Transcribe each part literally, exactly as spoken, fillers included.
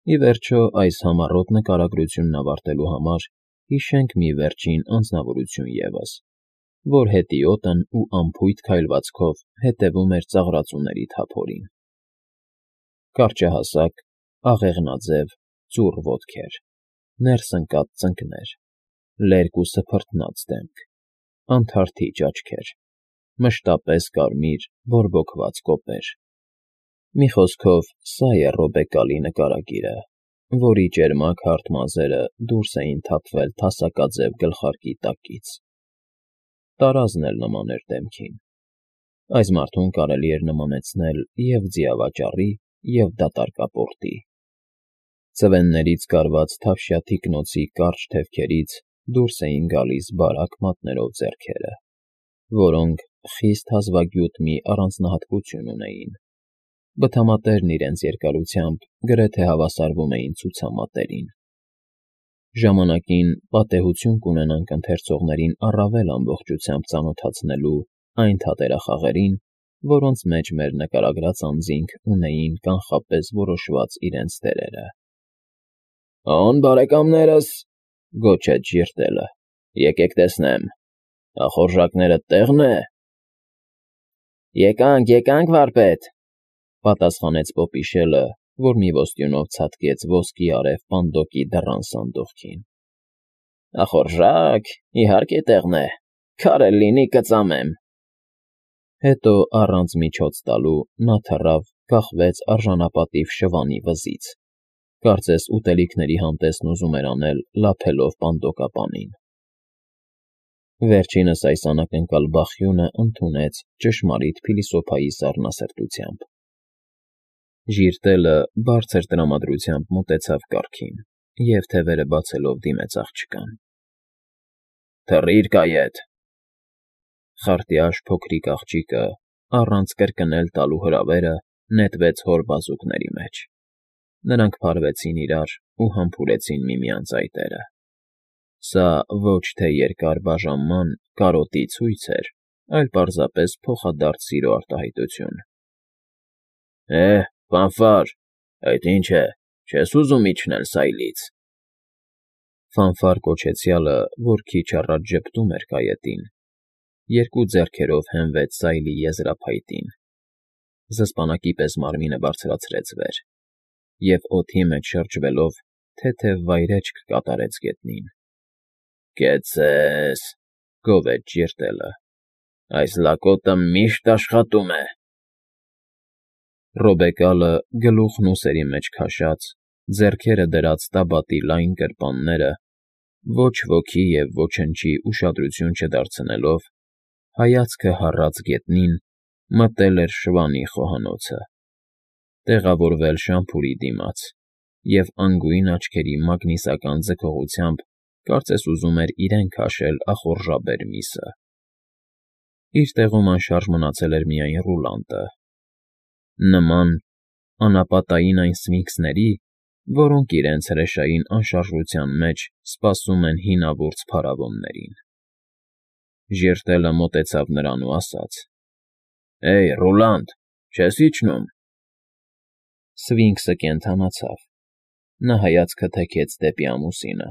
Ի վերջո, այս համառոտ նկարագրությունն ավարտելու համար հիշենք մի վերջին անձնավորություն ևս, որ հետիոտն ու անփույթ քայլվածքով հետևում էր ծաղրածուների թափորին. կարճահասակ, աղեղնաձև, ծուռ ոտքեր, ներս ընկած ծնկներ, լերկ ու սփռտնած դեմք, անթարթիջ աչքեր, մշտապես կարմիր, բորբոքված կոպեր. մի խոսքով, սա է Ռոբեկալի նկարագիրը, որի ճերմակ հարթ մազերը դուրս էին թափվել թասակաձև գլխարկի տակից. տարազն էլ նման էր դեմքին. այս մարդուն կարելի էր նմանեցնել և՛ ձիավաճառի, և՛ դատարկապորտի. ծվեններից կարված թավշյա թիկնոցի կարճ թևքերից դուրս էին գալիս բարակ մատներով ձեռքերը, որոնք խիստ հազվագյուտ մի առանձնահատկություն ունեին. բթամատերն իրենց երկարությամբ գրեթե հավասարվում էին ցուցամատերին. ժամանակին պատեհություն կունենանք ընթերցողներին առավել ամբողջությամբ ծանոթացնելու այն թատերախաղերին, որոնց մեջ մեր նկարագրած անձինք ունեին կանխապես որոշված իրենց դերերը։ «Օն, բարեկամներս,֊ գոչեց Ժիրտելը,֊ եկեք տեսնեմ, ախորժակներդ տեղ՞ն է»։ «Եկանք, եկանք, վարպետ,֊ պատասխանեց Պոպիշելը, որ մի ոստյունով ցատկեց ոսկի արև պանդոկի դռան սանդուղքին։ «Ախորժա՜կ, իհարկե տեղն է, քարել լինի կծամեմ»։ Հետո, առանց միջոց տալու, նա թռավ, կախվեց արժանապատիվ շվանի վզից, կարծես ուտելիքների համտեսն ուզում էր անել լափելով պանդոկապանին։ Վերջինս այս անակնկալ բախյունը ընդունեց ճշմարիտ փիլիսոփայի սառնասրտությամբ։ Ժիրտելը բարձր տրամադրությամբ մոտեցավ կառքին և, թևերը բացելով, դիմեց աղջկան. «Թռի՛ր, կայետ»։ Խարտյաշ փոքրիկ աղջիկը, առանց կրկնել տալու հրավերը, նետվեց հոր բազուկների մեջ. նրանք փարվեցին իրար ու համբուրեցին միմյանց այտերը։ Սա ոչ թե երկար բաժանման, կարոտի ցույց էր, այլ պարզապես փոխադարձ սիրո արտահայտություն։ «Է՜, Ֆանֆար, այդ ի՞նչ է, չես ուզում իջնել սայլից»։ Ֆանֆար կոչեցյալը, որ քիչ առաջ ժպտում էր կայետին, երկու ձեռքերով հենվեց սայլի եզրափայտին, զսպանակի պես մարմինը բարձրացրեց վեր և, օդի մեջ շրջվելով, թեթև վայրէջք կատարեց գետնին։ «Կեցցե՛ս,֊ գովեց Ժիրտելը,֊ այս լակոտը միշտ աշխատում է»։ Ռոբեկալը, գլուխն ուսերի մեջ քաշած, ձեռքերը դրած տաբատի լայն գրպանները, ոչ ոքի և ոչնչի ուշադրություն չդարձնելով, հայացքը հառած գետնին, մտել էր շվանի խոհանոցը, տեղավորվել շամփուրի դիմաց և անգույն աչքերի մագնիսական ձգողությամբ կարծես ուզում էր իրեն քաշել ախորժաբեր միսը։ Իր տեղում անշարժ մնացել էր միայն Ռուլանդը, նման անապատային այն սֆինքսների, որոնք իրենց հրեշային անշարժության մեջ սպասում են հինավուրց փարավոններին։ Ժիրտելը մոտեցավ նրան ու ասաց. «Հեյ, Ռուլանդ, չե՞ս իջնում»։ Սվինքսը կենդանացավ։ Նա հայացքը թեքեց դեպի ամուսինը,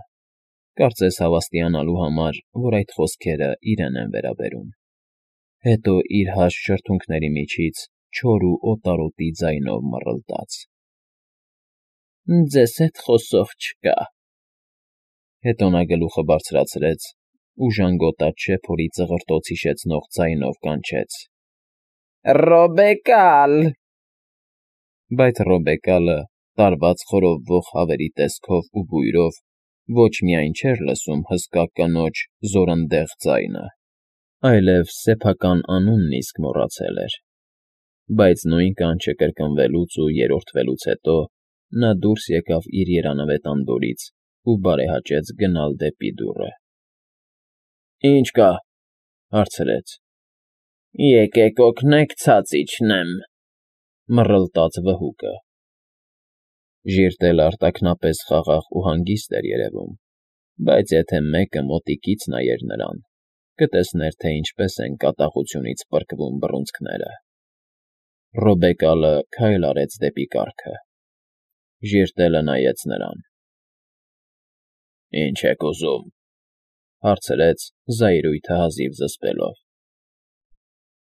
կարծես հավաստիանալու համար, որ այդ խոսքերը իրեն են վերաբերում, հետո իր հաստ շրթունքների միջից չոր ու օտարոտի ձայնով մռլտաց. «Ձեզ հետ խոսող չկա»։ Հետո նա գլուխը բարձրացրեց ու ժանգոտած շեփորի ծղրտոց հիշեցնող ձայնով կանչեց. «Ռոբեկալ»։ Բայց Ռոբեկալը, տարված խորովվող հավերի տեսքով ու բույրով, ոչ միայն չէր լսում հսկա կնոջ զորնդեղ ձայնը, այլև սեփական անունն իսկ մոռացել էր։ Բայց նույն կանչը կրկնվելուց ու երրորդվելուց հետո նա դուրս եկավ իր երանավետ անդորից ու բարեհաճեց գնալ դեպի դուռը։ «Ի՞նչ կա»։ հարցրեց։ «Եկեք օգնեք ցած իջնեմ», մռլտաց վհուկը։ Ժիրտելը արտաքնապես խաղաղ ու հանգիստ էր երևում, բայց եթե մեկը մոտիկից նայեր նրան, կտեսներ, թե ինչպես են կատաղությունից պրկվում բռունցքները։ Ռոբեկալը քայլ արեց դեպի կառքը։ Ժիրտելը նայեց նրան։ Ինչ եք ուզում,֊ հարցրեց զայրույթը հազիվ զսպելով։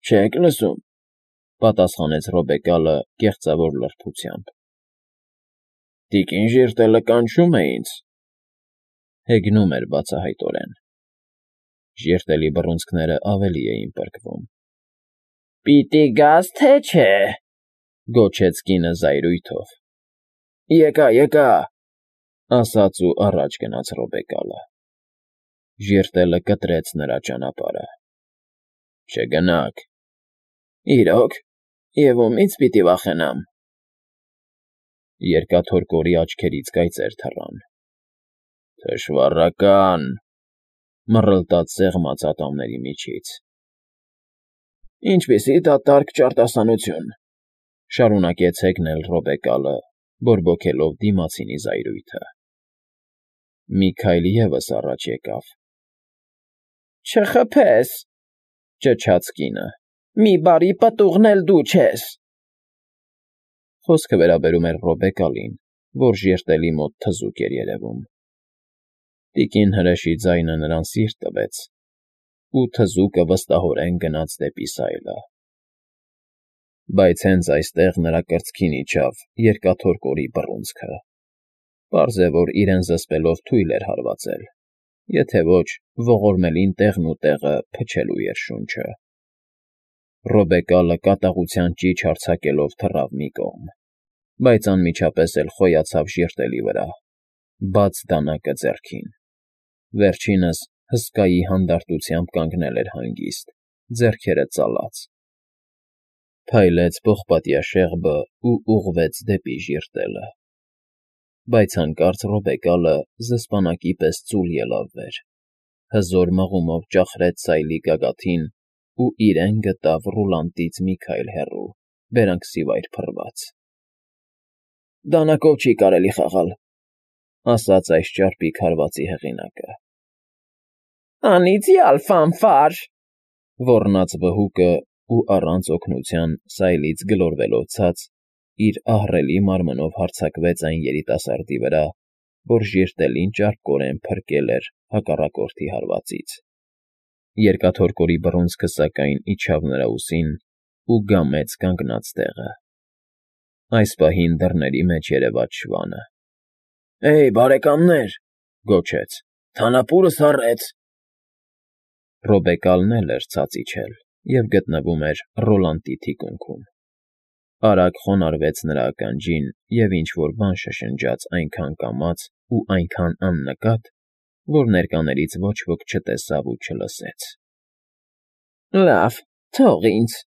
Չեք լսում,֊ պատասխանեց Ռոբեկալը կեղծավոր լրբությամբ։ Տիկին Ժիրտելը կանչում է ինձ,֊ հեգնում էր բացահայտորեն։ Ժիրտելի բռունցքները ավելի էին պրկվում։ Պիտի գաս, թե չէ,֊ գոչեց կինը զայրույթով։ Եկա, եկա,֊ ասաց ու առաջ գնաց Ռոբեկալը։ Ժիրտելը կտրեց նրա ճանապարհը։ Չգնաք։ Իրո՞ք, և ումի՞ց պիտի վախենամ։ Երկաթորկորի աչքերից կայծեր թռան։ Թշվառական,֊ մռլտաց սեղմած ատամների միջից։ Ինչպիսի դատարկ ճարտասանություն,֊ շարունակեց հեգնել Ռոբեկալը, բորբոքելով դիմացինի զայրույթը։ Մի քայլ ևս առաջ եկավ։ Չխփես,֊ ճչաց կինը,֊ մի բարի պտուղն էլ դու չես… Խոսքը վերաբերում էր Ռոբեկալին, որ ժիրտելի մոտ թզուկ էր երևում։ Տիկին հրեշի ձայնը նրան սիրտ տվեց, ու թզուկը վստահորեն գնաց դեպի սայլը։ Բայց հենց այստեղ նրա կրծքին իջավ երկաթորկորի բռունցքը։ Պարզ է, որ իրեն զսպելով թույլ էր հարվածել, եթե ոչ, ողորմելին տեղն ու տեղը փչելու էր շունչը։ Ռոբեկալը կատաղության ճիչ արձակելով թռավ մի կողմ, բայց անմիջապես էլ խոյացավ ժիրտելի վրա, բաց դանակը ձեռքին։ Վերջինս հսկայի հանդարտությամբ կանգնել էր հանգիստ, ձեռքերը ծալած։ Փայլեց պողպատյա շեղբը ու ուղղվեց դեպի ժիրտելը։ Բայց հանկարծ Ռոբեկալը զսպանակի պես ծուլ ելավ վեր, հզոր մղումով ճախրեց սայլի գագաթին ու իրեն գտավ Ռուլանտից մի քայլ հեռու, բերանքսի վայր փռված։ Դանակով չի կարելի խաղալ,֊ ասաց այս ճարպիկ հարվածի հեղինակը։ Անիծյալ ֆանֆար,֊ ոռնաց վհուկը ու առանց օգնության սայլից գլորվելով ցած, իր ահռելի մարմնով հարձակվեց այն երիտասարդի վրա, որ ժիրտելին ճարպկորեն փրկել էր հակառակորդի հարվածից։ Երկաթորկորի բռունցքը սակայն իջավ նրա ուսին ու գամեց կանգնած տեղը։ Այս պահին դռների մեջ երևաց շվանը։ Էյ, բարեկամներ,֊ գոչեց,֊ թանապուրս հառեց… Ռոբեկալն էլ էր ցած իջել և գտնվում էր Ռոլանտի թիկունքում։ Արագ խոնարհվեց նրա ականջին և ինչ֊որ բան շշնջաց այնքան կամաց ու այնքան աննկատ, որ ներկաներից ոչ ոք չտեսավ ու չլսեց։ Լավ, թող ինձ,֊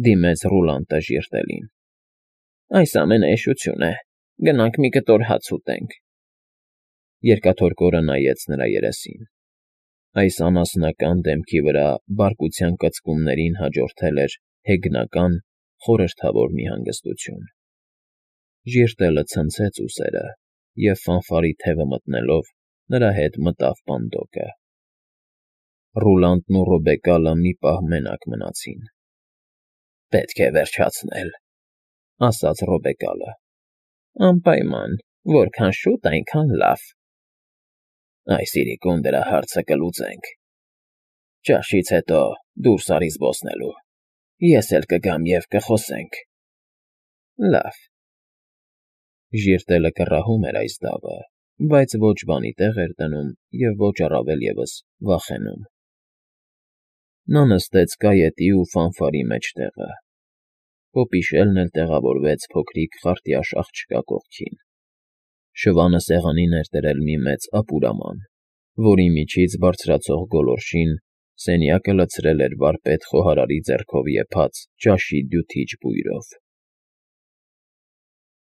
դիմեց Ռուլանտը ժիրտելին։ Այս ամենը էշություն է, գնանք մի կտոր հաց ուտենք։ Երկաթորկորը նայեց նրա երեսին։ Այս անասնական դեմքի վրա բարկության կծկումներին հաջորդել էր հեգնական, խորհրդավոր մի հանգստություն։ Ժիրտելը ցնցեց ուսերը և ֆանֆարի թևը մտնելով նրա հետ մտավ պանդոկը։ Ռուլանտն ու Ռոբեկալը մի պահ մենակ մնացին։ Պետք է վերջացնել,֊ ասաց Ռոբեկալը։ Անպայման, որքան շուտ, այնքան լավ։ Այս իրիկուն դրա հարցը կլուծենք։ Ճաշից հետո դուրս արի զբոսնելու, ես էլ կգամ և կխոսենք։ Լավ… Ժիրտելը կռահում էր այս դավը, բայց ոչ բանի տեղ էր դնում և ոչ առավել ևս վախենում։ Նա նստեց կայետի ու ֆանֆարի մեջտեղը։ Պոպիշելն էլ տեղավորվեց փոքրիկ խարտյաշ աղջկա կողքին։ Շվանը սեղանին էր դրել մի մեծ ապուրաման, որի միջից բարձրացող գոլորշին սենյակը լցրել էր վարպետ խոհարարի ձեռքով եփած ճաշի դյութիչ բույրով։